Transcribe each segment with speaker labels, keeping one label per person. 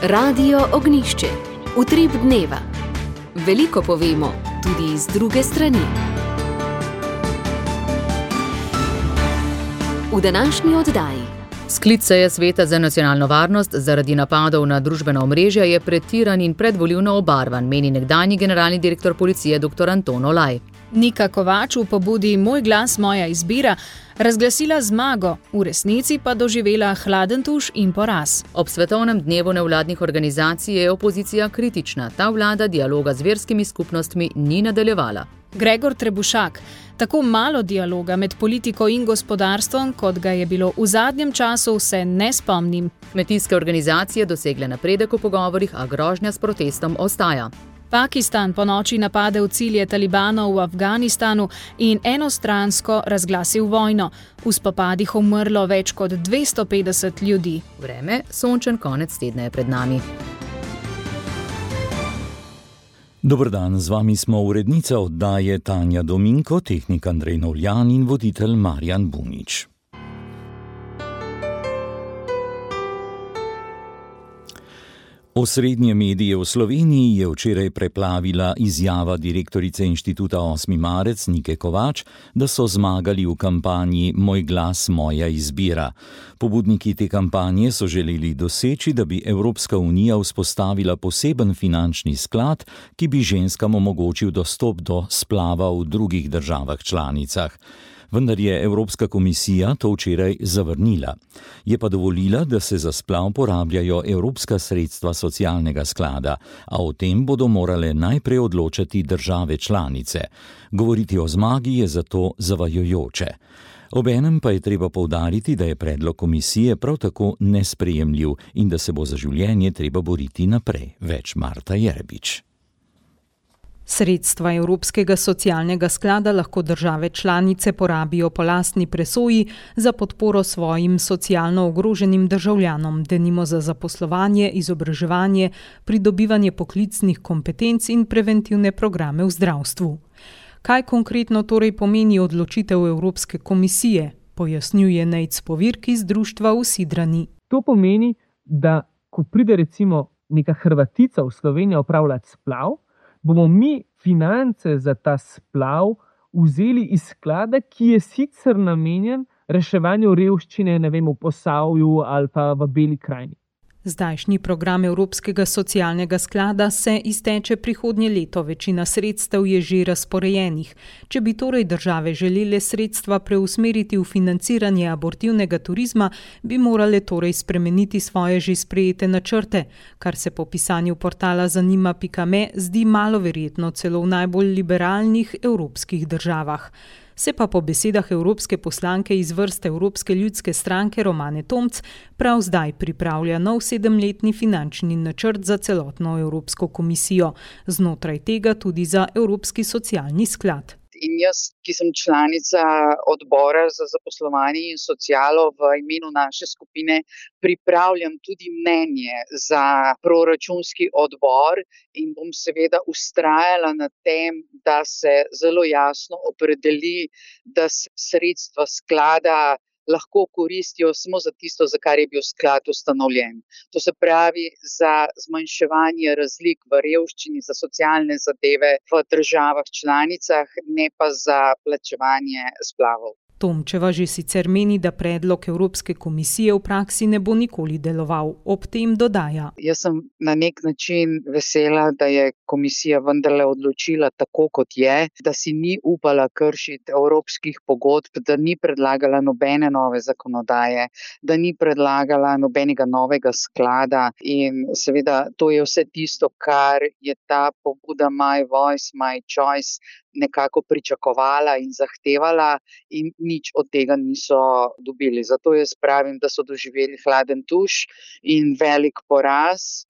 Speaker 1: Radio Ognjišče. Utrip dneva. Veliko povemo, tudi iz druge strani. V današnji oddaji.
Speaker 2: Sklic seje Sveta za nacionalno varnost zaradi napadov na družbena omrežja je pretiran in predvolilno obarvan, meni nekdanji generalni direktor policije dr. Anton Olaj.
Speaker 3: Nika Kovač v pobudi Moj glas, moja izbira razglasila zmago, v resnici pa doživela hladen tuš in poraz.
Speaker 2: Ob svetovnem dnevu nevladnih organizacij je opozicija kritična. Ta vlada dialoga z verskimi skupnostmi ni nadaljevala.
Speaker 3: Gregor Trebušak. Tako malo dialoga med politiko in gospodarstvom, kot ga je bilo v zadnjem času, se ne spomnim.
Speaker 2: Kmetijske organizacije dosegle napredek v pogovorih, a grožnja s protestom ostaja.
Speaker 3: Pakistan ponoči napade v cilje talibanov v Afganistanu in enostransko razglasil vojno. V spopadih umrlo več kot 250 ljudi.
Speaker 2: Vreme, sončen konec tedna je pred nami.
Speaker 4: Dober dan, z vami smo urednica oddaje Tanja Dominko, tehnik Andrej Novljan in voditelj Marjan Bunič. Osrednje medije v Sloveniji je včeraj preplavila izjava direktorice Inštituta 8. marec Nike Kovač, da so zmagali v kampanji Moj glas, moja izbira. Pobudniki te kampanje so želeli doseči, da bi Evropska unija vzpostavila poseben finančni sklad, ki bi ženskam omogočil dostop do splava v drugih državah članicah. Vendar je Evropska komisija to včeraj zavrnila. Je pa dovolila, da se za splav porabljajo evropska sredstva socialnega sklada, a o tem bodo morale najprej odločati države članice. Govoriti o zmagi je zato zavajajoče. Obenem pa je treba poudariti, da je predlog komisije prav tako nesprejemljiv in da se bo za življenje treba boriti naprej. Več Marta Jerebič.
Speaker 5: Sredstva Evropskega socialnega sklada lahko države članice porabijo po lastni presoji za podporo svojim socialno ogroženim državljanom, denimo za zaposlovanje, izobraževanje, pridobivanje poklicnih kompetenc in preventivne programe v zdravstvu. Kaj konkretno torej pomeni odločitev Evropske komisije, pojasnjuje Nejc Povirk iz društva v Sidrani.
Speaker 6: To pomeni, da ko pride recimo neka Hrvatica v Slovenijo opravljati splav, bomo mi finance za ta splav vzeli iz sklada, ki je sicer namenjen reševanju revščine, ne vem, v Posavju ali pa v Beli krajini.
Speaker 5: Zdajšnji program Evropskega socialnega sklada se izteče prihodnje leto, večina sredstev je že razporejenih. Če bi torej države želele sredstva preusmeriti v financiranje abortivnega turizma, bi morale torej spremeniti svoje že sprejete načrte, kar se po pisanju portala zanima.me zdi malo verjetno celo v najbolj liberalnih evropskih državah. Se pa po besedah evropske poslanke iz vrst Evropske ljudske stranke Romane Tomc prav zdaj pripravlja nov 7-letni finančni načrt za celotno Evropsko komisijo, znotraj tega tudi za Evropski socialni sklad.
Speaker 7: In jaz, ki sem članica odbora za zaposlovanje in socialo, v imenu naše skupine pripravljam tudi mnenje za proračunski odbor in bom seveda vztrajala na tem, da se zelo jasno opredeli, da se sredstva sklada lahko koristijo samo za tisto, za kar je bil sklad ustanovljen. To se pravi za zmanjševanje razlik v revščini, za socialne zadeve v državah članicah, ne pa za plačevanje splavov.
Speaker 5: Tomčeva že sicer meni, da predlog Evropske komisije v praksi ne bo nikoli deloval. Ob tem dodaja.
Speaker 7: Jaz sem na nek način vesela, da je komisija vendarle odločila tako, kot je, da si ni upala kršiti evropskih pogodb, da ni predlagala nobene nove zakonodaje, da ni predlagala nobenega novega sklada in seveda to je vse tisto, kar je ta pobuda My Voice, My Choice nekako pričakovala in zahtevala in nič od tega niso dobili. Zato jaz pravim, da so doživeli hladen tuš in velik poraz.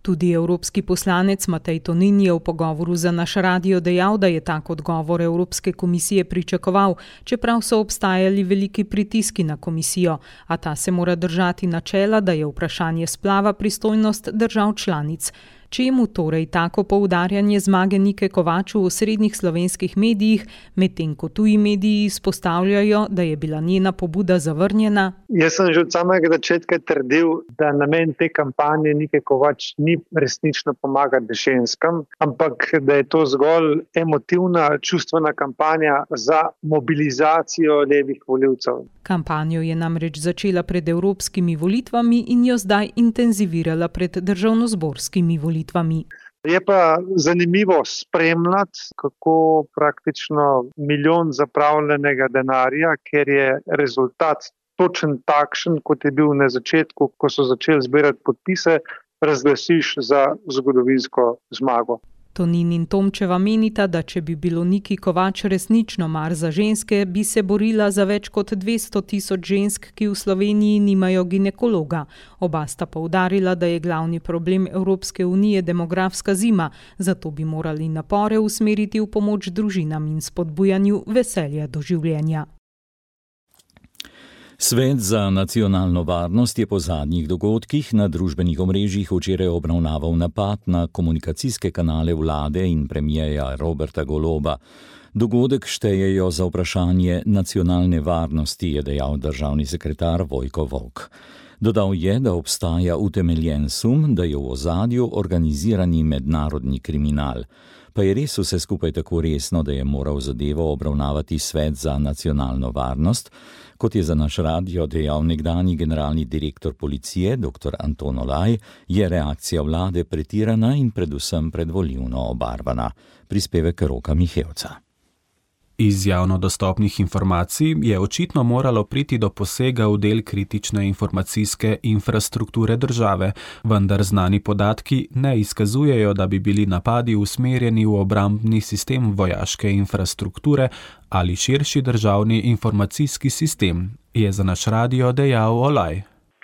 Speaker 5: Tudi evropski poslanec Matej Tonin je v pogovoru za naš radio dejal, da je tak odgovor Evropske komisije pričakoval, čeprav so obstajali veliki pritiski na komisijo, a ta se mora držati načela, da je vprašanje splava pristojnost držav članic. Čemu torej tako poudarjanje zmage Nike Kovač v osrednjih slovenskih medijih, medtem ko tuji mediji izpostavljajo, da je bila njena pobuda zavrnjena?
Speaker 8: Jaz sem že od samega začetka trdil, da namen te kampanje Nike Kovač ni resnično pomagati ženskam, ampak da je to zgolj emotivna, čustvena kampanja za mobilizacijo levih volivcev.
Speaker 5: Kampanjo je namreč začela pred evropskimi volitvami in jo zdaj intenzivirala pred državnozborskimi volitvami.
Speaker 8: Je pa zanimivo spremljati, kako praktično milijon zapravljenega denarja, ker je rezultat točen takšen, kot je bil na začetku, ko so začeli zbirati podpise, razglasiš za zgodovinsko zmago.
Speaker 5: Tonin in Tomčeva menita, da če bi bilo Niki Kovač resnično mar za ženske, bi se borila za več kot 200 tisoč žensk, ki v Sloveniji nimajo ginekologa. Oba sta poudarila, da je glavni problem Evropske unije demografska zima, zato bi morali napore usmeriti v pomoč družinam in spodbujanju veselja do življenja.
Speaker 4: Svet za nacionalno varnost je po zadnjih dogodkih na družbenih omrežjih včeraj obravnaval napad na komunikacijske kanale vlade in premierja Roberta Goloba. Dogodek štejejo za vprašanje nacionalne varnosti, je dejal državni sekretar Vojko Volk. Dodal je, da obstaja utemeljen sum, da je v ozadju organizirani mednarodni kriminal. Pa je res vse skupaj tako resno, da je moral zadevo obravnavati Svet za nacionalno varnost, kot je za naš radio dejal nekdanji generalni direktor policije, dr. Anton Olaj, je reakcija vlade pretirana in predvsem predvolilno obarvana. Prispevek Roka Mihevca.
Speaker 9: Iz javno dostopnih informacij je očitno moralo priti do posega v del kritične informacijske infrastrukture države, vendar znani podatki ne izkazujejo, da bi bili napadi usmerjeni v obrambni sistem vojaške infrastrukture ali širši državni informacijski sistem, je za naš radio dejal Olaj.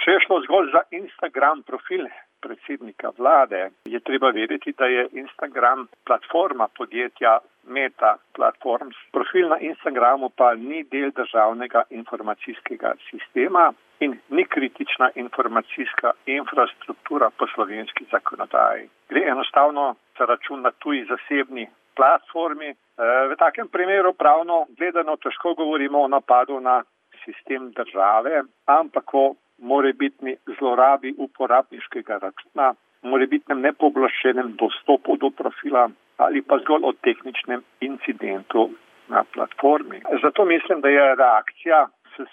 Speaker 10: Če je šlo zgolj za Instagram profil predsednika vlade, je treba vedeti, da je Instagram platforma podjetja Meta Platforms. Profil na Instagramu pa ni del državnega informacijskega sistema in ni kritična informacijska infrastruktura po slovenski zakonodaji. Gre enostavno za račun na tuji zasebni platformi. V takem primeru pravno gledano težko govorimo o napadu na sistem države, ampak o morebitni zlorabi uporabniškega računa, morebitnem nepooblaščenem dostopu do profila ali pa zgolj o tehničnem incidentu na platformi. Zato mislim, da je reakcija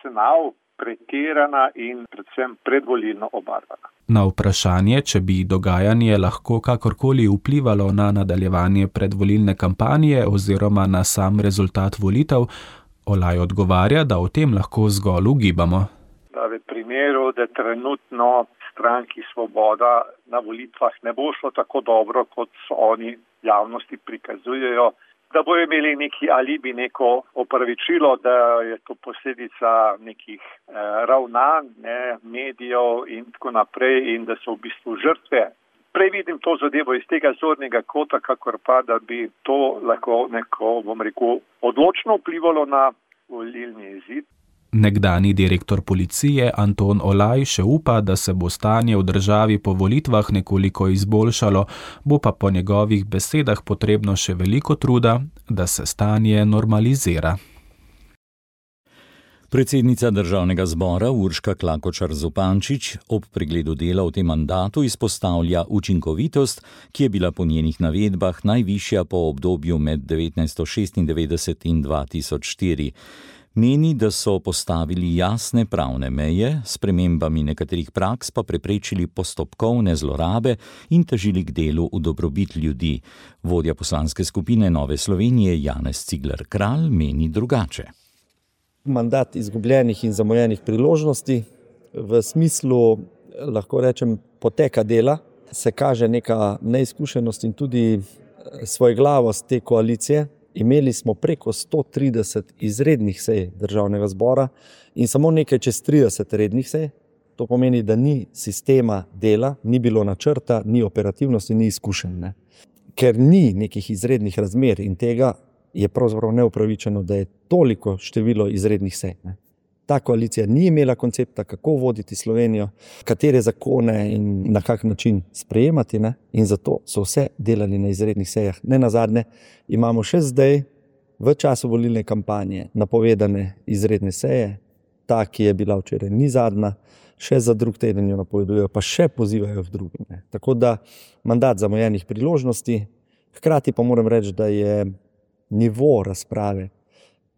Speaker 10: SNAV pretirana in predvsem predvolilno obarvana.
Speaker 9: Na vprašanje, če bi dogajanje lahko kakorkoli vplivalo na nadaljevanje predvolilne kampanje oziroma na sam rezultat volitev, Olaj odgovarja, da o tem lahko zgolj ugibamo.
Speaker 10: V primeru, da trenutno stranki Svoboda na volitvah ne bo šlo tako dobro, kot so oni javnosti prikazujejo, da bojo imeli neki alibi, neko opravičilo, da je to posledica nekih ravnanj, medijev in tako naprej in da so v bistvu žrtve. Prej vidim to zadevo iz tega zornega kota, kakor pa, da bi to lahko odločno vplivalo na volilni izid.
Speaker 9: Nekdanji direktor policije Anton Olaj še upa, da se bo stanje v državi po volitvah nekoliko izboljšalo, bo pa po njegovih besedah potrebno še veliko truda, da se stanje normalizira.
Speaker 4: Predsednica Državnega zbora Urška Klakočar Zupančič ob pregledu dela v tem mandatu izpostavlja učinkovitost, ki je bila po njenih navedbah najvišja po obdobju med 1996 in 2004. Meni, da so postavili jasne pravne meje, s spremembami nekaterih praks pa preprečili postopkovne zlorabe in težili k delu v dobrobit ljudi. Vodja poslanske skupine Nove Slovenije Janez Cigler Kralj meni drugače.
Speaker 11: Mandat izgubljenih in zamujenih priložnosti v smislu, lahko rečem, poteka dela, se kaže neka neizkušenost in tudi svojglavost te koalicije. Imeli smo preko 130 izrednih sej Državnega zbora in samo nekaj čez 30 rednih sej. To pomeni, da ni sistema dela, ni bilo načrta, ni operativnosti, ni izkušenj. Ker ni nekih izrednih razmer in tega je pravzaprav neupravičeno, da je toliko število izrednih sej. Ta koalicija ni imela koncepta, kako voditi Slovenijo, katere zakone in na kak način sprejemati, ne? In zato so vse delali na izrednih sejah. Ne nazadnje imamo še zdaj v času volilne kampanje napovedane izredne seje, ta, ki je bila včeraj, ni zadnja, še za drug teden jo napovedujejo, pa še pozivajo v drugim. Ne? Tako da mandat zamujenih priložnosti, hkrati pa moram reči, da je nivo razprave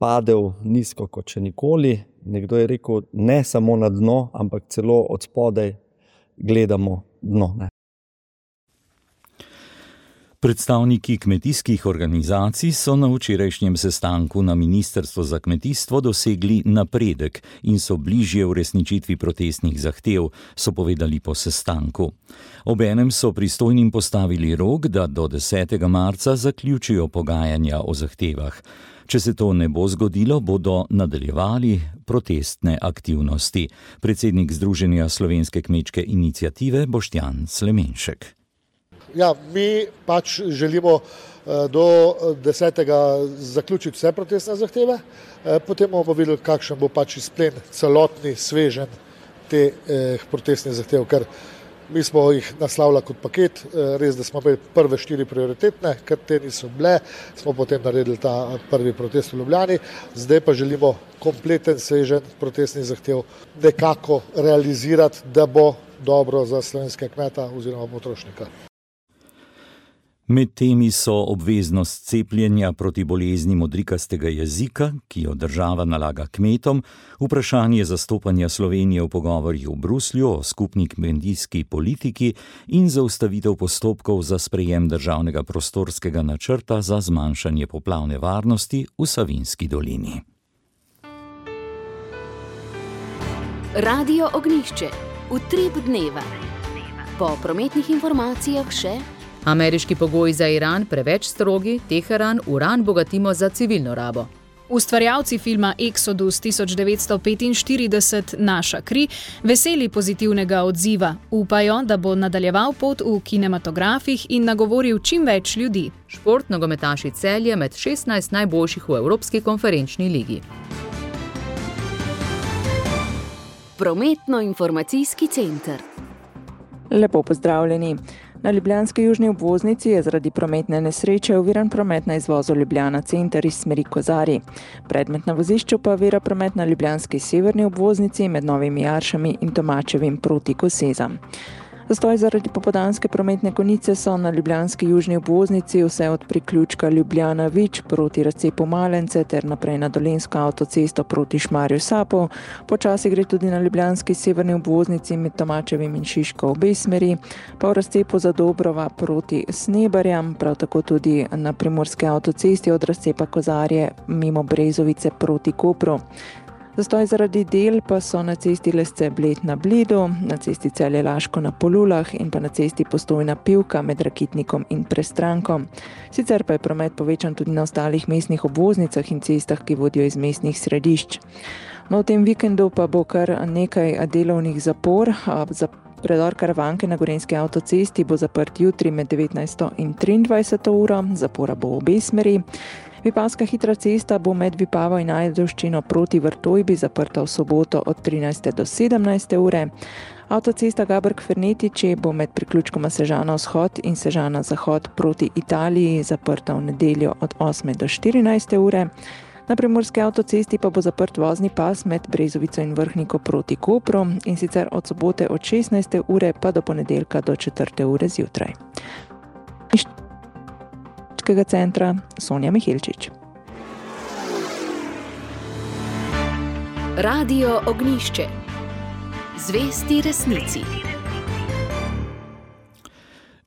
Speaker 11: padel nizko kot še nikoli. Nekdo je rekel, ne samo na dno, ampak celo od spodaj gledamo dno. Ne?
Speaker 4: Predstavniki kmetijskih organizacij so na včerajšnjem sestanku na Ministrstvu za kmetijstvo dosegli napredek in so bližje uresničitvi protestnih zahtev, so povedali po sestanku. Obenem so pristojnim postavili rok, da do 10. marca zaključijo pogajanja o zahtevah. Če se to ne bo zgodilo, bodo nadaljevali protestne aktivnosti. Predsednik Združenja Slovenske kmečke iniciative Boštjan Slemenšek.
Speaker 12: Ja, mi pač želimo do 10. zaključiti vse protestne zahteve, potem bomo videli, kakšen bo pač izplen celotni sveženj teh protestnih zahtev, ker mi smo jih naslavljali kot paket, res, da smo imeli prve 4 prioritetne, ker te niso bile, smo potem naredili ta prvi protest v Ljubljani, zdaj pa želimo kompleten sveženj protestnih zahtev nekako realizirati, da bo dobro za slovenskega kmeta oziroma potrošnika.
Speaker 4: Med temi so obveznost cepljenja proti bolezni modrikastega jezika, ki jo država nalaga kmetom, vprašanje zastopanja Slovenije v pogovorih v Bruslju o skupni kmetijski politiki in zaustavitev postopkov za sprejem državnega prostorskega načrta za zmanjšanje poplavne varnosti v Savinjski dolini.
Speaker 1: Radio Ognjišče. Utrip dneva. Po prometnih informacijah še:
Speaker 2: ameriški pogoji za Iran preveč strogi, Teheran uran bogatimo za civilno rabo.
Speaker 3: Ustvarjalci filma Exodus 1945 Naša kri veseli pozitivnega odziva. Upajo, da bo nadaljeval pot v kinematografih in nagovoril čim več ljudi.
Speaker 2: Šport nogometaši Celje med 16 najboljših v Evropski konferenčni ligi.
Speaker 1: Prometno-informacijski center.
Speaker 13: Lepo pozdravljeni. Na ljubljanski južni obvoznici je zaradi prometne nesreče oviran promet na izvozu Ljubljana center iz smeri Kozarij. Predmet na vozišču pa ovira promet na ljubljanski severni obvoznici med Novimi Jaršami in Tomačevim proti Kosezam. Zastoj zaradi popoldanske prometne konice so na ljubljanski južni obvoznici vse od priključka Ljubljana-Vič proti razcepu Malence ter naprej na Dolenjsko avtocesto proti Šmarju Sapo. Počasi gre tudi na ljubljanski severni obvoznici med Tomačevim in Šiško obe smeri, pa v razcepu za Dobrova proti Snebarjam, prav tako tudi na primorski avtocesti od razcepa Kozarje mimo Brezovice proti Kopru. Zastoj zaradi del pa so na cesti Lesce-Bled na Bledu, na cesti Celje-Laško na Polulah in pa na cesti Postojna-Pivka med Rakitnikom in Prestrankom. Sicer pa je promet povečan tudi na ostalih mestnih obvoznicah in cestah, ki vodijo iz mestnih središč. No, v tem vikendu pa bo kar nekaj delovnih zapor. Za predor Karavanke na Gorenjski avtocesti bo zaprt jutri med 19. in 23. uro, zapora bo v obe smeri. Vipavska hitra cesta bo med Vipavo in Ajdovščino proti Vrtojbi zaprta v soboto od 13. do 17. ure. Avtocesta Gabrk-Fernetiči bo med priključkoma Sežana-Vzhod in Sežana-Zahod proti Italiji zaprta v nedeljo od 8. do 14. ure. Na primorski avtocesti pa bo zaprt vozni pas med Brezovico in Vrhniko proti Kopru in sicer od sobote od 16. ure pa do ponedeljka do 4. ure zjutraj. Centra Sonja Mihilčič.
Speaker 1: Radio Ognjišče. Zvesti resnici.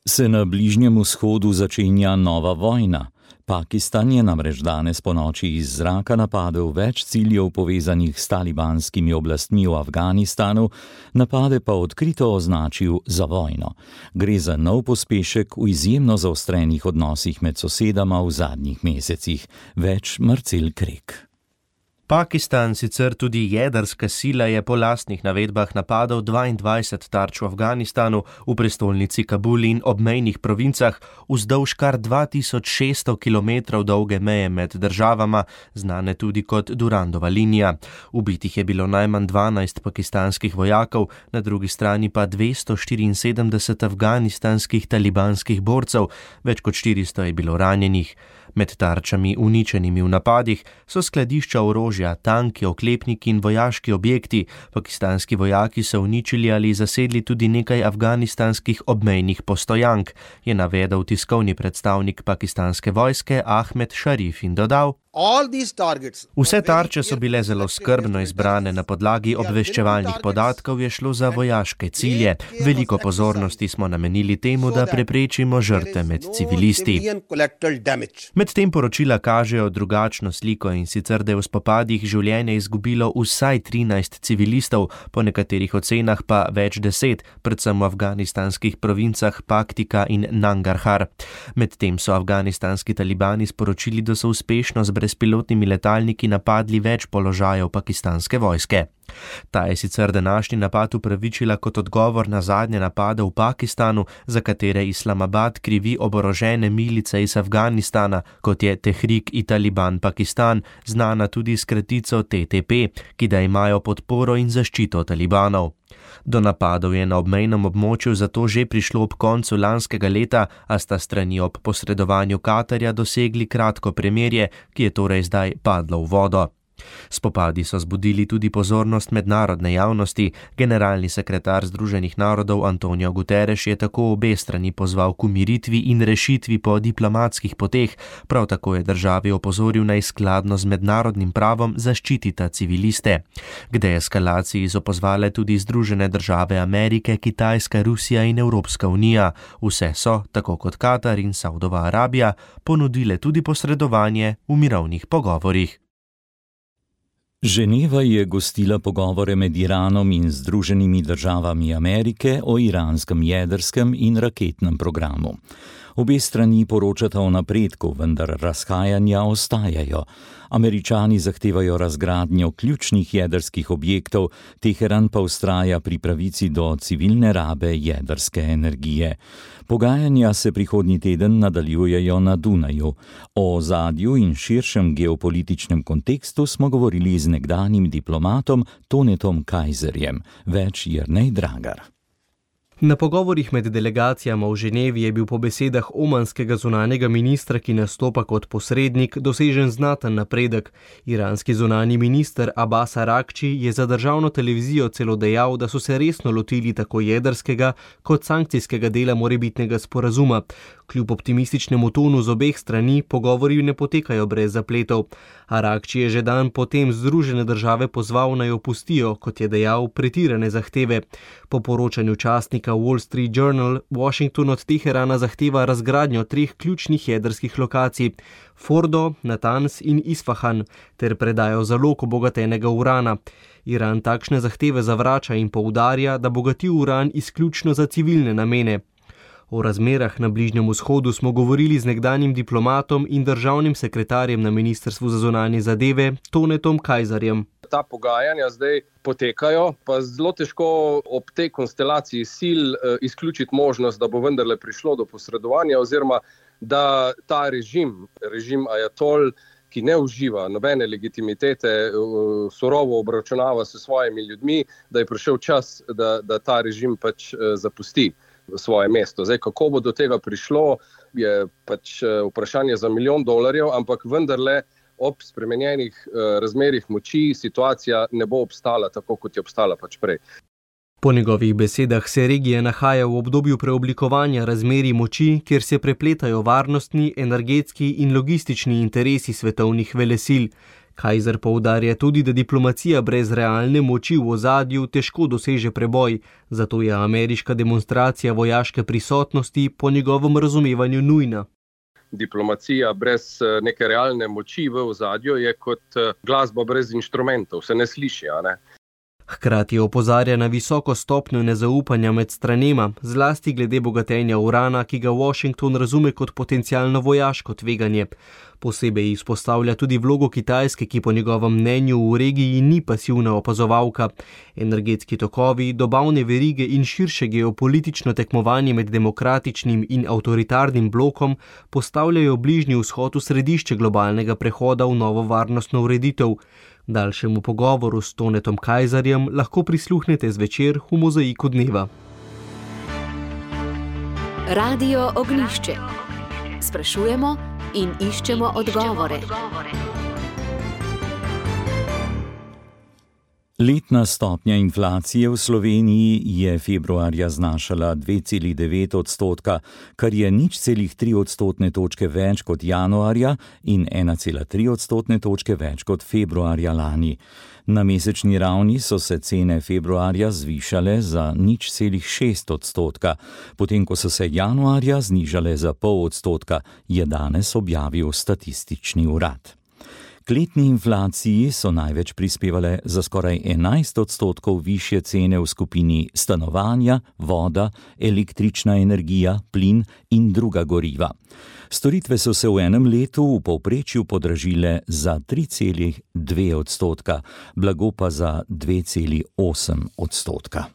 Speaker 4: Se na Bližnjem vzhodu začenja nova vojna. Pakistan je namreč danes ponoči iz zraka napadel več ciljev povezanih s talibanskimi oblastmi v Afganistanu, napade pa odkrito označil za vojno. Gre za nov pospešek v izjemno zaostrenih odnosih med sosedama v zadnjih mesecih. Več Marcel Krek.
Speaker 14: Pakistan, sicer tudi jedrska sila, je po lastnih navedbah napadal 22 tarč v Afganistanu, v prestolnici Kabul in obmejnih provincah, vzdolž kar 2600 km dolge meje med državama, znane tudi kot Durandova linija. Ubitih je bilo najmanj 12 pakistanskih vojakov, na drugi strani pa 274 afganistanskih talibanskih borcev, več kot 400 je bilo ranjenih. Med tarčami uničenimi v napadih so skladišča orožja, tanki, oklepniki in vojaški objekti. Pakistanski vojaki so uničili ali zasedli tudi nekaj afganistanskih obmejnih postojank, je navedel tiskovni predstavnik pakistanske vojske Ahmed Sharif in dodal: Vse tarče so bile zelo skrbno izbrane na podlagi obveščevalnih podatkov, je šlo za vojaške cilje. Veliko pozornosti smo namenili temu, da preprečimo žrtve med civilisti. Medtem poročila kažejo drugačno sliko, in sicer, da je v spopadih življenje izgubilo vsaj 13 civilistov, po nekaterih ocenah pa več 10, predvsem v afganistanskih provincah Paktika in Nangarhar. Medtem so afganistanski talibani sporočili, da so uspešno z brezpilotnimi letalniki napadli več položajev pakistanske vojske. Ta je sicer današnji napad upravičila kot odgovor na zadnje napade v Pakistanu, za katere Islamabad krivi oborožene milice iz Afganistana, kot je Tehrik-i-Taliban Pakistan, znana tudi s kratico TTP, ki da imajo podporo in zaščito talibanov. Do napadov je na obmejnem območju zato že prišlo ob koncu lanskega leta, a sta strani ob posredovanju Katarja dosegli kratko premirje, ki je torej zdaj padlo v vodo. Spopadi so zbudili tudi pozornost mednarodne javnosti. Generalni sekretar Združenih narodov Antonio Guterres je tako obe strani pozval k umiritvi in rešitvi po diplomatskih poteh, prav tako je državi opozoril, naj skladno z mednarodnim pravom zaščitita civiliste. K deeskalaciji so pozvale tudi Združene države Amerike, Kitajska, Rusija in Evropska unija. Vse so, tako kot Katar in Saudova Arabija, ponudile tudi posredovanje v mirovnih pogovorih.
Speaker 4: Ženeva je gostila pogovore med Iranom in Združenimi državami Amerike o iranskem jedrskem in raketnem programu. Obe strani poročata o napredku, vendar razhajanja ostajajo. Američani zahtevajo razgradnjo ključnih jedrskih objektov, Teheran pa vztraja pri pravici do civilne rabe jedrske energije. Pogajanja se prihodnji teden nadaljujejo na Dunaju. O ozadju in širšem geopolitičnem kontekstu smo govorili z nekdanjim diplomatom Tonetom Kajzerjem. Več Jernej Dragar.
Speaker 15: Na pogovorih med delegacijama v Ženevi je bil po besedah omanskega zunanjega ministra, ki nastopa kot posrednik, dosežen znaten napredek. Iranski zunanji minister Abbas Araghči je za državno televizijo celo dejal, da so se resno lotili tako jedrskega kot sankcijskega dela morebitnega sporazuma. Kljub optimističnemu tonu z obeh strani pogovori ne potekajo brez zapletov. Araghči je že dan potem Združene države pozval, naj opustijo, kot je dejal, pretirane zahteve. Po poročanju časnika Wall Street Journal, Washington od Teherana zahteva razgradnjo 3 ključnih jedrskih lokacij, Fordo, Natanz in Isfahan, ter predajo zalog obogatenega urana. Iran takšne zahteve zavrača in poudarja, da bogati uran izključno za civilne namene. O razmerah na Bližnjem vzhodu smo govorili z nekdanjim diplomatom in državnim sekretarjem na Ministrstvu za zunanje zadeve Tonetom Kajzerjem.
Speaker 16: Ta pogajanja zdaj potekajo, pa zelo težko ob tej konstelaciji sil izključiti možnost, da bo vendarle prišlo do posredovanja, oziroma da ta režim ajatol, ki ne uživa nobene legitimitete, surovo obračunava s svojimi ljudmi, da je prišel čas, da ta režim pač zapusti svoje mesto. Zdaj, kako bo do tega prišlo, je pač vprašanje za $1 milijon, ampak vendarle ob spremenjenih razmerih moči situacija ne bo obstala tako, kot je obstala pač prej.
Speaker 15: Po njegovih besedah se regija nahaja v obdobju preoblikovanja razmerij moči, kjer se prepletajo varnostni, energetski in logistični interesi svetovnih velesil. Kajzer poudarja tudi, da diplomacija brez realne moči v ozadju težko doseže preboj, zato je ameriška demonstracija vojaške prisotnosti po njegovem razumevanju nujna.
Speaker 16: Diplomacija brez neke realne moči v ozadju je kot glasba brez inštrumentov, se ne sliši, a ne?
Speaker 15: Hkrati opozarja na visoko stopnjo nezaupanja med stranema, zlasti glede bogatenja urana, ki ga Washington razume kot potencialno vojaško tveganje. Posebej izpostavlja tudi vlogo Kitajske, ki po njegovem mnenju v regiji ni pasivna opazovalka. Energetski tokovi, dobavne verige in širše geopolitično tekmovanje med demokratičnim in avtoritarnim blokom postavljajo Bližnji vzhod v središče globalnega prehoda v novo varnostno ureditev. Daljšemu pogovoru s Tonetom Kajzerjem lahko prisluhnete zvečer v Mozaiku dneva.
Speaker 1: Radio Ognjišče. Sprašujemo in iščemo odgovore.
Speaker 4: Letna stopnja inflacije v Sloveniji je februarja znašala 2,9 odstotka, kar je 0,3 odstotne točke več kot januarja in 1,3 odstotne točke več kot februarja lani. Na mesečni ravni so se cene februarja zvišale za 0,6 odstotka, potem ko so se januarja znižale za 0,5 odstotka, je danes objavil Statistični urad. K letni inflaciji so največ prispevale za skoraj 11 odstotkov višje cene v skupini stanovanja, voda, električna energija, plin in druga goriva. Storitve so se v enem letu v povprečju podražile za 3,2 odstotka, blago pa za 2,8 odstotka.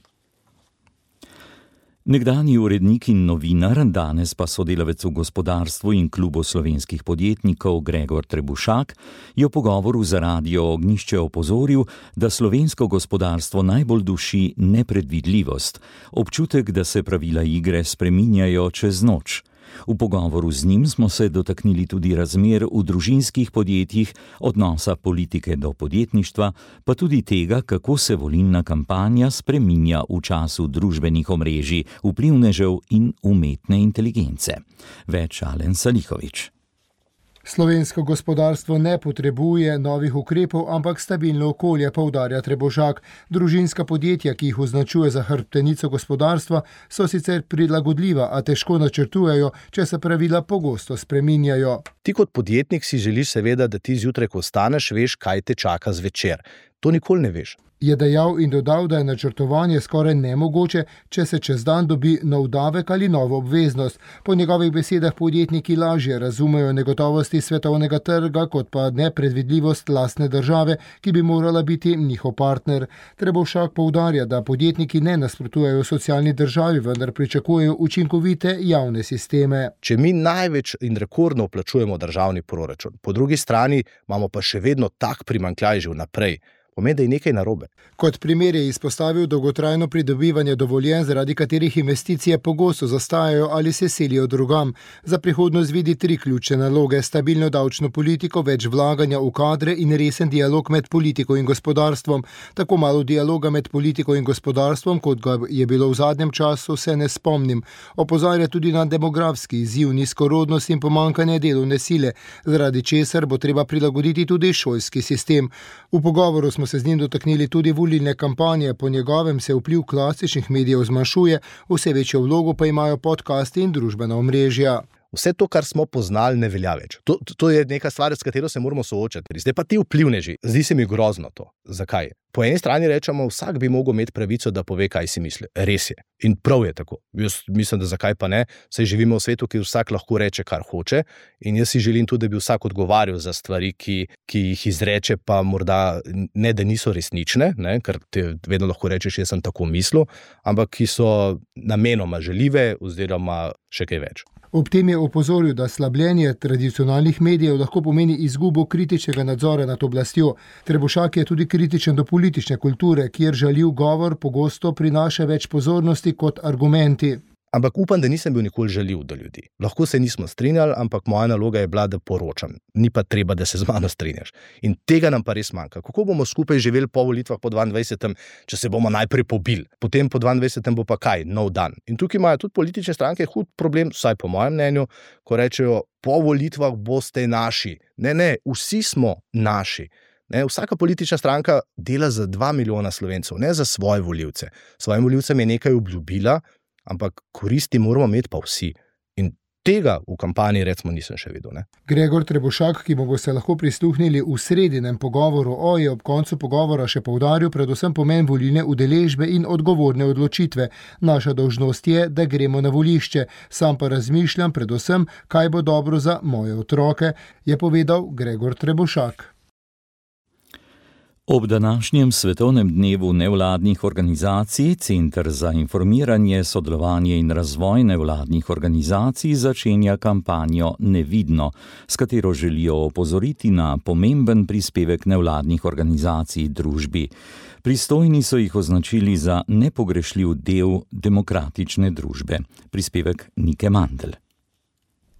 Speaker 4: Nekdanji urednik in novinar, danes pa sodelavec v gospodarstvu in klubu slovenskih podjetnikov Gregor Trebušak, je v pogovoru za Radio Ognjišče opozoril, da slovensko gospodarstvo najbolj duši nepredvidljivost, občutek, da se pravila igre spreminjajo čez noč. V pogovoru z njim smo se dotaknili tudi razmer v družinskih podjetjih, odnosa politike do podjetništva, pa tudi tega, kako se volilna kampanja spreminja v času družbenih omrežij, vplivnežev in umetne inteligence. Več Alen Salihović.
Speaker 17: Slovensko gospodarstvo ne potrebuje novih ukrepov, ampak stabilno okolje, poudarja Trebušak. Družinska podjetja, ki jih označuje za hrbtenico gospodarstva, so sicer prilagodljiva, a težko načrtujejo, če se pravila pogosto spreminjajo.
Speaker 18: Ti kot podjetnik si želiš seveda, da ti zjutraj, ko vstaneš, veš, kaj te čaka zvečer. To nikoli ne veš.
Speaker 17: Je dejal in dodal, da je načrtovanje skoraj nemogoče, če se čez dan dobi nov davek ali novo obveznost. Po njegovih besedah podjetniki lažje razumejo negotovosti svetovnega trga, kot pa nepredvidljivost lastne države, ki bi morala biti njihov partner. Trebušak poudarja, da podjetniki ne nasprotujejo socialni državi, vendar pričakujejo učinkovite javne sisteme.
Speaker 18: Če mi največ in rekordno vplačujemo državni proračun, po drugi strani imamo pa še vedno tak primanjkljaj že vnaprej, pomeni, da je nekaj narobe.
Speaker 17: Kot primer je izpostavil dolgotrajno pridobivanje dovoljenj, zaradi katerih investicije pogosto zastajajo ali se selijo drugam. Za prihodnost vidi 3 ključne naloge: stabilno davčno politiko, več vlaganja v kadre in resen dialog med politiko in gospodarstvom. Tako malo dialoga med politiko in gospodarstvom, kot ga je bilo v zadnjem času, se ne spomnim. Opozarja tudi na demografski izziv, nizkorodnost in pomanjkanje delovne sile, zaradi česar bo treba prilagoditi tudi šolski sistem. V pogovoru smo se z njim dotaknili tudi volilne kampanje. Po njegovem se vpliv klasičnih medijev zmanjšuje, vse večjo vlogo pa imajo podcasti in družbena omrežja.
Speaker 18: Vse to, kar smo poznali, ne velja več. To je neka stvar, s katero se moramo soočati. Zdaj pa ti vplivneži. Zdi se mi grozno to. Zakaj? Po eni strani rečemo, vsak bi mogel imeti pravico, da pove, kaj si misli. Res je. In prav je tako. Jaz mislim, da zakaj pa ne. Saj živimo v svetu, ki vsak lahko reče, kar hoče. In jaz si želim tudi, da bi vsak odgovarjal za stvari, ki jih izreče, pa morda ne, da niso resnične, ne? Ker te vedno lahko rečeš, jaz sem tako mislil, ampak ki so namenoma žaljive oziroma še kaj več.
Speaker 17: Ob tem je opozoril, da slabljenje tradicionalnih medijev lahko pomeni izgubo kritičnega nadzora nad oblastjo. Trebušak je tudi kritičen do politične kulture, kjer žaljiv govor pogosto prinaša več pozornosti kot argumenti.
Speaker 18: Ampak upam, da nisem bil nikoli žaljiv do ljudi. Lahko se nismo strinjali, ampak moja naloga je bila, da poročam. Ni pa treba, da se z mano strinjaš. In tega nam pa res manjka. Kako bomo skupaj živeli po volitvah po 22., če se bomo najprej pobili? Potem po 22. bo pa kaj? Nov dan. In tukaj imajo tudi politične stranke hud problem, vsaj po mojem mnenju, ko rečejo, po volitvah boste naši. Ne, vsi smo naši. Ne, vsaka politična stranka dela za 2 milijona Slovencev, ne za svoje volivce. Svojim volivcem je nekaj obljubila, ampak koristi moramo imeti pa vsi. In Tega v kampanji recimo nisem še videl. Ne?
Speaker 17: Gregor Trebošak, ki mu boste lahko prisluhnili v sredinem pogovoru je ob koncu pogovora še poudaril predvsem pomen volilne udeležbe in odgovorne odločitve. Naša dolžnost je, da gremo na volišče. Sam pa razmišljam predvsem, kaj bo dobro za moje otroke, je povedal Gregor Trebošak.
Speaker 4: Ob današnjem svetovnem dnevu nevladnih organizacij Center za informiranje, sodelovanje in razvoj nevladnih organizacij začenja kampanjo Nevidno, s katero želijo opozoriti na pomemben prispevek nevladnih organizacij družbi. Pristojni so jih označili za nepogrešljiv del demokratične družbe. Prispevek Nike Mandl.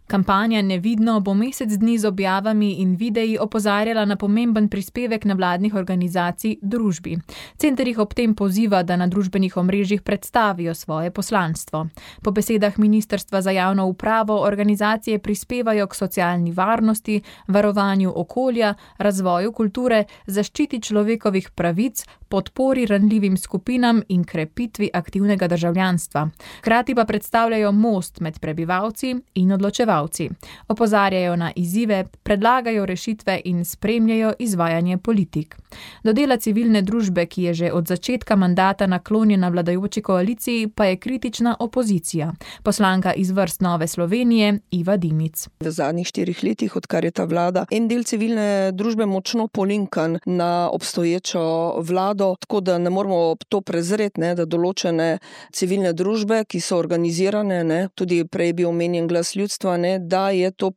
Speaker 3: Kampanja Nevidno bo mesec dni z objavami in videi opozarjala na pomemben prispevek nevladnih organizacij družbi. Center jih ob tem poziva, da na družbenih omrežjih predstavijo svoje poslanstvo. Po besedah Ministrstva za javno upravo organizacije prispevajo k socialni varnosti, varovanju okolja, razvoju kulture, zaščiti človekovih pravic, podpori ranljivim skupinam in krepitvi aktivnega državljanstva. Hkrati pa predstavljajo most med prebivalci in odločevalci. Opozarjajo na izzive, predlagajo rešitve in spremljajo izvajanje politik. Do dela civilne družbe, ki je že od začetka mandata naklonjena vladajoči koaliciji, pa je kritična opozicija. Poslanka iz vrst Nove Slovenije Iva Dimic.
Speaker 19: V zadnjih 4 letih, odkar je ta vlada, en del civilne družbe močno polinkan na obstoječo vlado, tako da ne moramo to prezreti, da določene civilne družbe, ki so organizirane, tudi prej bi omenjen Glas ljudstva, da je to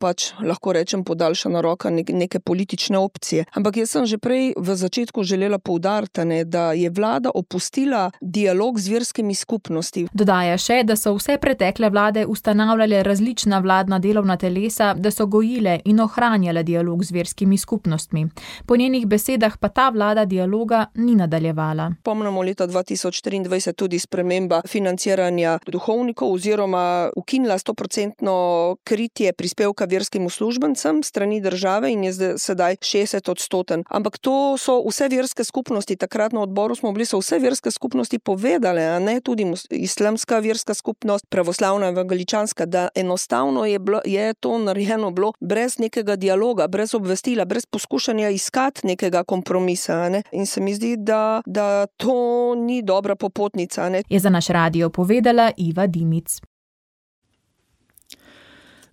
Speaker 19: lahko rečem podaljšana roka neke politične opcije. Ampak jaz sem že prej v začetku želela poudariti, da je vlada opustila dialog z verskimi skupnosti.
Speaker 3: Dodaja še, da so vse pretekle vlade ustanavljale različna vladna delovna telesa, da so gojile in ohranjale dialog z verskimi skupnostmi. Po njenih besedah pa ta vlada dialoga ni nadaljevala.
Speaker 19: Pomnimo leta 2023 tudi sprememba financiranja duhovnikov oziroma ukinila 100% kritje prispevka verskim uslužbencem strani države in je sedaj 60%. Ampak to so vse verske skupnosti, takrat na odboru smo bili, so vse verske skupnosti povedale, tudi islamska verska skupnost, pravoslavna evangeličanska, da enostavno je to narejeno bilo brez nekega dialoga, brez obvestila, brez poskušanja iskati nekega kompromisa. In se mi zdi, da to ni dobra popotnica.
Speaker 3: Je za naš radio povedala Iva Dimic.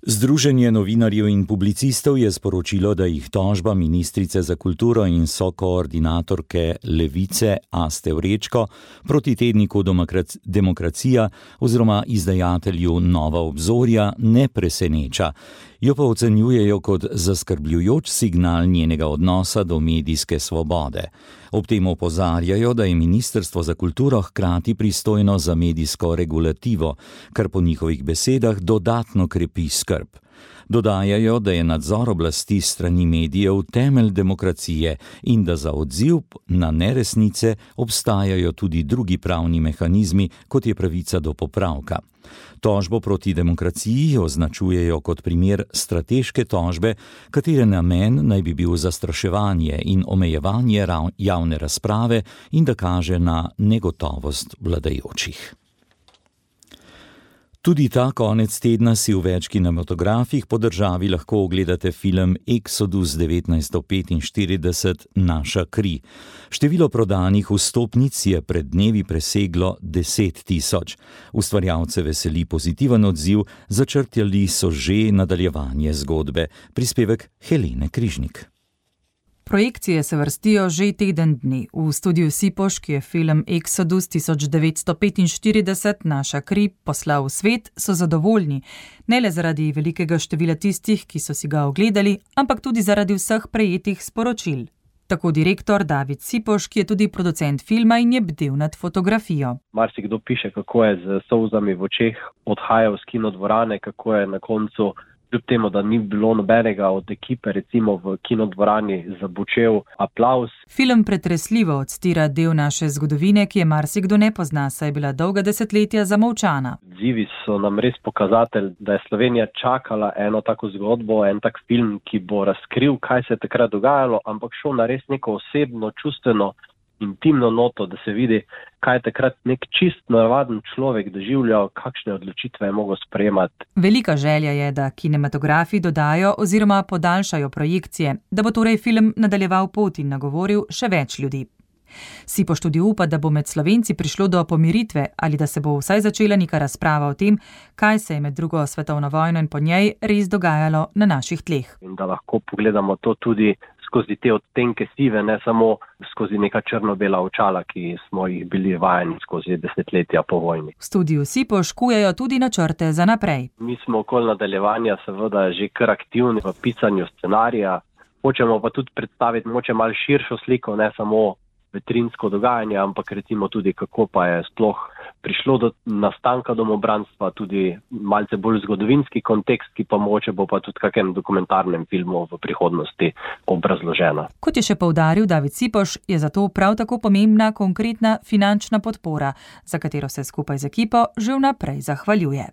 Speaker 4: Združenje novinarjev in publicistov je sporočilo, da jih tožba ministrice za kulturo in sokoordinatorke Levice Aste Vrečko proti tedniku Demokracija oziroma izdajatelju Nova obzorja ne preseneča. Jo pa ocenjujejo kot zaskrbljujoč signal njenega odnosa do medijske svobode. Ob tem opozarjajo, da je Ministrstvo za kulturo hkrati pristojno za medijsko regulativo, kar po njihovih besedah dodatno krepi skrb. Dodajajo, da je nadzor oblasti strani medijev temelj demokracije in da za odziv na neresnice obstajajo tudi drugi pravni mehanizmi, kot je pravica do popravka. Tožbo proti Demokraciji označujejo kot primer strateške tožbe, katere namen naj bi bil zastraševanje in omejevanje javne razprave in da kaže na negotovost vladajočih. Tudi ta konec tedna si v več kinematografih po državi lahko ogledate film Exodus 1945 Naša kri. Število prodanih vstopnic je pred dnevi preseglo 10 000. Ustvarjalce veseli pozitiven odziv, začrtali so že nadaljevanje zgodbe. Prispevek Helene Križnik.
Speaker 20: Projekcije se vrstijo že teden dni. V studiu Sipoš, ki je film Exodus 1945 Naša kri poslal v svet, so zadovoljni. Ne le zaradi velikega števila tistih, ki so si ga ogledali, ampak tudi zaradi vseh prejetih sporočil. Tako direktor David Sipoš, ki je tudi producent filma in je bdel nad fotografijo.
Speaker 21: Marsikdo piše, kako je z solzami v očeh odhajal z kinodvorane, kako je na koncu, kljub temu, da ni bilo nobenega od ekipe, recimo v kinodvorani, zabučel aplavz.
Speaker 20: Film pretresljivo odstira del naše zgodovine, ki je marsikdo ne pozna, saj je bila dolga desetletja zamolčana.
Speaker 21: Odzivi so nam res pokazatelj, da je Slovenija čakala eno tako zgodbo, en tak film, ki bo razkril, kaj se je takrat dogajalo, ampak šel na res neko osebno, čustveno intimno noto, da se vidi, kaj je takrat nek čist navaden človek doživljal, kakšne odločitve je mogel sprejemati.
Speaker 20: Velika želja je, da kinematografi dodajo oziroma podaljšajo projekcije, da bo torej film nadaljeval pot in nagovoril še več ljudi. Sipoš tudi upa, da bo med Slovenci prišlo do pomiritve ali da se bo vsaj začela neka razprava o tem, kaj se je med drugo svetovno vojno in po njej res dogajalo na naših tleh.
Speaker 21: In da lahko pogledamo to tudi skozi te odtenke sive, ne samo skozi neka črno-bela očala, ki smo jih bili vajeni skozi desetletja po vojni.
Speaker 20: V studiu Sipoš kujejo tudi načrte za naprej.
Speaker 21: Mi smo okoli nadaljevanja seveda že kar aktivni v pisanju scenarija. Hočemo pa tudi predstaviti moče malo širšo sliko, ne samo vetrinsko dogajanje, ampak recimo tudi, kako pa je sploh prišlo do nastanka domobranstva, tudi malce bolj zgodovinski kontekst, ki pa mogoče bo pa tudi kakem dokumentarnem filmu v prihodnosti obrazložena.
Speaker 20: Kot je še poudaril David Sipoš, je zato prav tako pomembna konkretna finančna podpora, za katero se skupaj z ekipo že vnaprej zahvaljuje.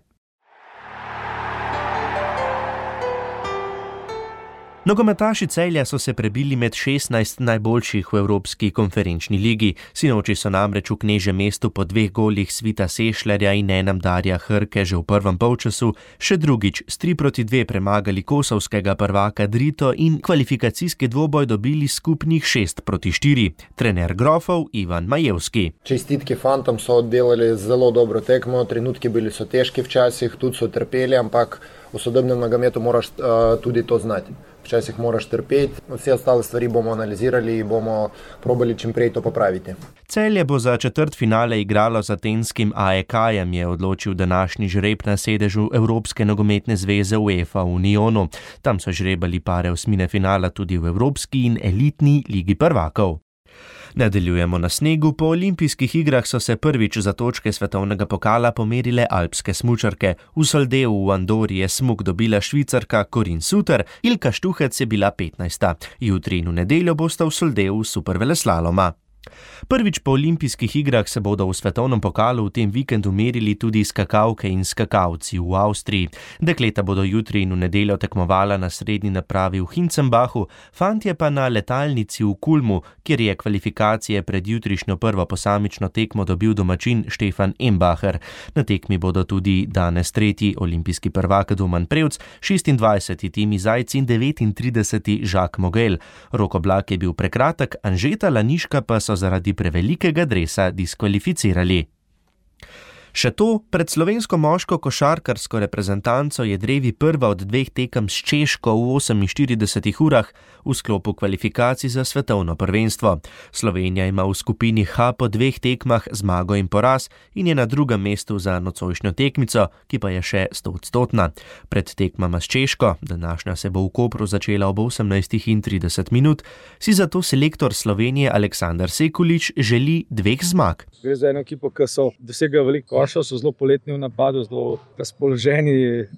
Speaker 14: Nogometaši Celja so se prebili med 16 najboljših v Evropski konferenčni ligi. Sinoči so namreč v knežjem mestu po 2 golih Svita Sešljarja in enem Darja Hrke že v prvem polčasu še drugič s 3-2 premagali kosovskega prvaka Drito in kvalifikacijski dvoboj dobili skupnih 6-4. Trener Grofov Ivan Majevski.
Speaker 6: Čestitke fantom, so oddelali zelo dobro tekmo, trenutki bili so težki včasih, tudi so trpeli, ampak v sodobnem nogometu moraš tudi to znati. Včasih moraš trpeti, vse ostale stvari bomo analizirali in bomo probali čim prej to popraviti.
Speaker 14: Celje bo za četrtfinale igralo z atenskim AEK-jem, je odločil današnji žreb na sedežu Evropske nogometne zveze UEFA v Unionu. Tam so žrebali pare osmine finala tudi v Evropski in elitni ligi prvakov. Nadaljujemo na snegu. Po olimpijskih igrah so se prvič za točke svetovnega pokala pomerile alpske smučarke. V Soldeu v Andori je smuk dobila Švicarka Corinne Suter, Ilka Štuhec je bila 15. Jutri in v nedeljo bosta v Soldeu superveleslaloma. Prvič po olimpijskih igrah se bodo v svetovnem pokalu v tem vikendu merili tudi skakalke in skakalci v Avstriji. Dekleta bodo jutri in v nedeljo tekmovala na srednji napravi v Hinzenbachu, fantje pa na letalnici v Kulmu, kjer je kvalifikacije pred jutrišnjo prvo posamično tekmo dobil domačin Štefan Embacher. Na tekmi bodo tudi danes 3. olimpijski prvak Doman Prevc, 26. Timi Zajc in 39. Jacques Mogel. Rok Oblak je bil prekratek, Anžeta Laniška pa so zaradi prevelikega dresa diskvalificirali. Še to, pred slovensko moško košarkarsko reprezentanco je drevi prva od 2 tekem s Češko v 48 urah v sklopu kvalifikacij za svetovno prvenstvo. Slovenija ima v skupini H po 2 tekmah zmago in poraz in je na drugem mestu za nocojšnjo tekmico, ki pa je še 100-odstotna. Pred tekmama s Češko, današnja se bo v Kopru začela ob 18:30, si zato selektor Slovenije Aleksandar Sekulič želi 2 zmag.
Speaker 22: Gre za eno ekipo, ki so dosegli veliko košev, so zelo poletni v napadu, zelo razpoloženi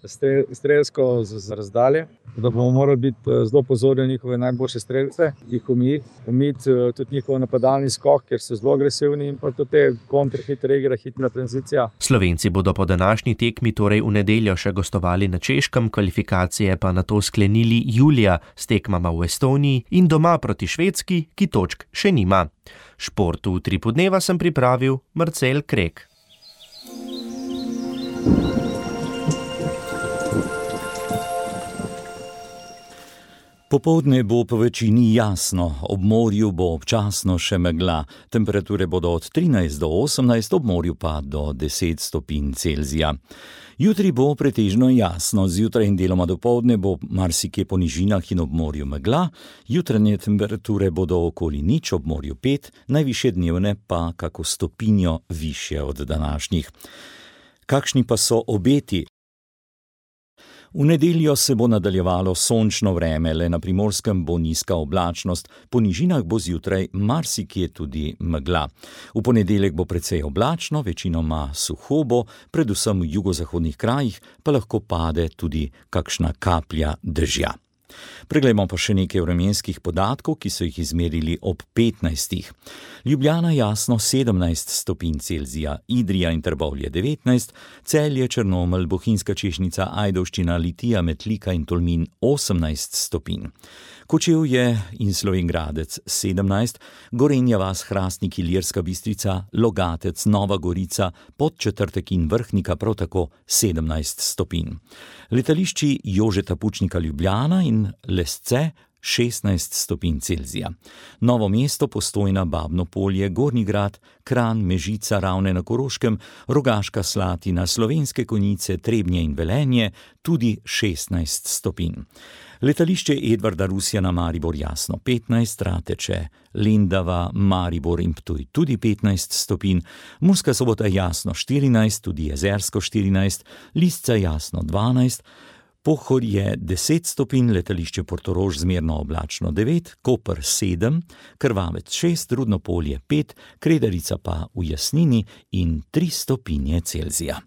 Speaker 22: strelsko z razdalje, da bomo morali biti zelo pozorni na njihove najboljše strelce, jih omiti tudi njihov napadalni skok, ker so zelo agresivni in pa tudi te kontrahitre igre, hitra tranzicija.
Speaker 14: Slovenci bodo po današnji tekmi torej v nedeljo še gostovali na Češkem, kvalifikacije pa nato sklenili julija s tekmama v Estoniji in doma proti Švedski, ki točk še nima. Šport v Utripu dneva sem pripravil Marcel Krek.
Speaker 4: Popoldne bo po večini jasno, ob morju bo občasno še megla. Temperature bodo od 13 do 18, ob morju pa do 10 stopinj Celzija. Jutri bo pretežno jasno, zjutraj in deloma dopoldne bo marsikje po nižinah in ob morju megla. Jutranje temperature bodo okoli 0, ob morju 5, najvišje dnevne pa kako stopinjo višje od današnjih. Kakšni pa so obeti? V nedeljo se bo nadaljevalo sončno vreme, le na Primorskem bo nizka oblačnost, po nižinah bo zjutraj marsikje tudi megla. V ponedeljek bo precej oblačno, večinoma suho bo, predvsem v jugozahodnih krajih pa lahko pade tudi kakšna kaplja dežja. Preglejmo pa še nekaj vremenskih podatkov, ki so jih izmerili ob 15. Ljubljana jasno 17 stopinj Celzija, Idrija in Trbovlje 19, Celje, Črnomelj, Bohinjska Češnica, Ajdovščina, Litija, Metlika in Tolmin 18 stopinj. Kočevje in Slovenj Gradec 17, Gorenja vas, Hrastnik, Ilirska Bistrica, Logatec, Nova Gorica, Podčetrtek in Vrhnika prav tako 17 stopinj. Letališči Jožeta Pučnika Ljubljana in Lesce 16 stopinj Celzija. Novo mesto, Postojna, Babno Polje, Gornji Grad, Kranj, Mežica, Ravne na Koroškem, Rogaška Slatina, Slovenske Konjice, Trebnje in Velenje tudi 16 stopinj. Letališče Edvarda Rusjana Maribor jasno 15, Rateče, Lendava, Maribor in Ptuj tudi 15 stopinj, Murska Sobota jasno 14, tudi Jezersko 14, Lisca jasno 12, Pohorje 10 stopinj, letališče Portorož zmerno oblačno 9, Koper 7, Krvavec 6, Rudno Polje 5, Kredarica pa v Jasnini in 3 stopinje Celzija.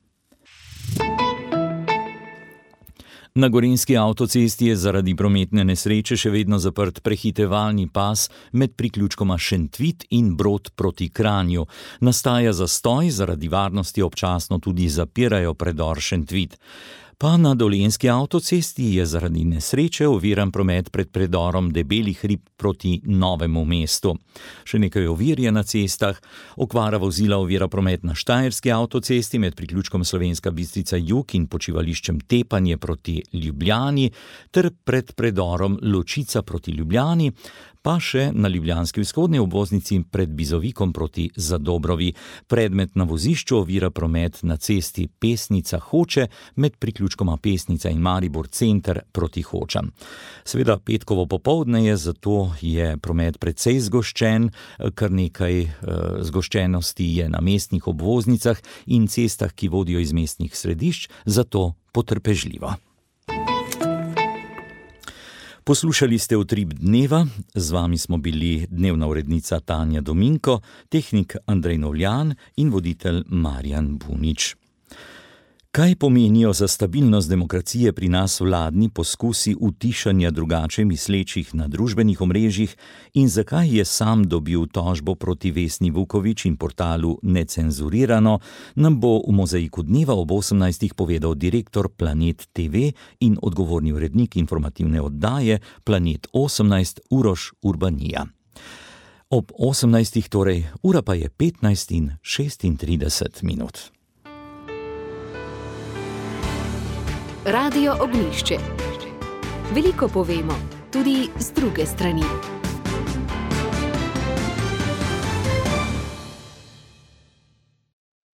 Speaker 4: Na gorenjski avtocesti je zaradi prometne nesreče še vedno zaprt prehitevalni pas med priključkoma Šentvit in Brod proti Kranju. Nastaja zastoj, zaradi varnosti občasno tudi zapirajo predor Šentvit. Pa na Dolenjski avtocesti je zaradi nesreče oviran promet pred predorom Debeli hrib proti Novemu mestu. Še nekaj ovir je na cestah. Okvara vozila ovira promet na Štajerski avtocesti med priključkom Slovenska Bistrica Jug in počivališčem Tepanje proti Ljubljani ter pred predorom Ločica proti Ljubljani, pa še na ljubljanski vzhodni obvoznici pred Bizovikom proti Zadobrovi. Predmet na vozišču ovira promet na cesti Pesnica Hoče med priključkoma Pesnica in Maribor center proti Hočam. Seveda petkovo popoldne je, zato je promet precej zgoščen, kar nekaj zgoščenosti je na mestnih obvoznicah in cestah, ki vodijo iz mestnih središč, zato potrpežljivo. Poslušali ste Utrip dneva, z vami smo bili dnevna urednica Tanja Dominko, tehnik Andrej Novljan in voditelj Marjan Bunič. Kaj pomenijo za stabilnost demokracije pri nas vladni poskusi utišanja drugače mislečih na družbenih omrežjih in zakaj je sam dobil tožbo proti Vesni Vuković in portalu Necenzurirano, nam bo v Mozaiku dneva ob 18. povedal direktor Planet TV in odgovorni urednik informativne oddaje Planet 18 Uroš Urbanija. Ob 18. torej, ura pa je 15:36 minut.
Speaker 1: Radio Ognjišče. Veliko povemo, tudi z druge strani.